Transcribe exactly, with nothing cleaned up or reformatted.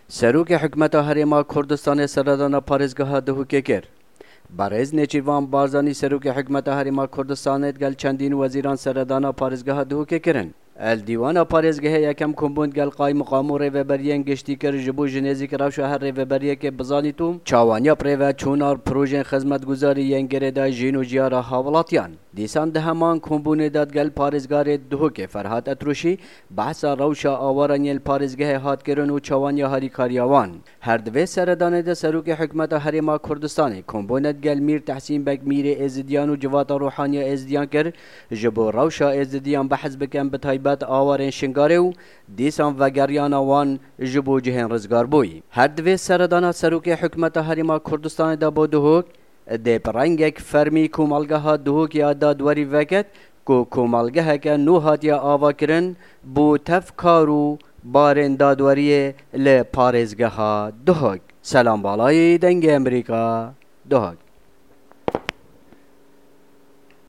Serokê Hikûmeta Herêma Kurdistanê seredana parêzgeha Duhokê kir. Berêz Nêçîrvan Barzanî, Serokê Hikûmeta Herêma Kurdistanê, digel çendîn wezîran seredana parêzgeha Duhokê kirin. Li dîwana parêzgehê yekem kombûn digel qaymiqam û rêveberiyên giştî kir, ji bo ji nêzîk rewşa her rêveberiyekê bizanît û çawaniya bi rêveçûna projeyên xizmetguzarî yên girêdayî jîn û jiyara hawilatiyan. Dîsan di heman kombûnê de digel parêzgarê Duhokê Ferhat Etrûşî behsa rewşa awaran yên li parêzgehê hat kirin û çawaniya harîkariya wan. Her di vê seredanê de Serokê Hikûmeta Herêma Kurdistanê kombûne digel Mîr Tehsîn Beg, Mîrê Êzidiyan û Civata Ruhaniya Êzidiyan kir, ji bo rewşa Êzidiyan behs bikin, bi taybet awarên Şingalê û dîsan vegeriyana wan ji bo cihên rizgarbûyî. Her di vê seredana Serokê Hikûmeta Herêma Kurdistanê de bo Duhok dê bi rengek fermî komelgeha Duhokê ya dadwerî veket, ku komelgeheke nû hatiye avakirin bo tev kar û barên dadweriyê li parêzgeha Duhok. Selam Balayî, Dengê Amerîka, Duhok.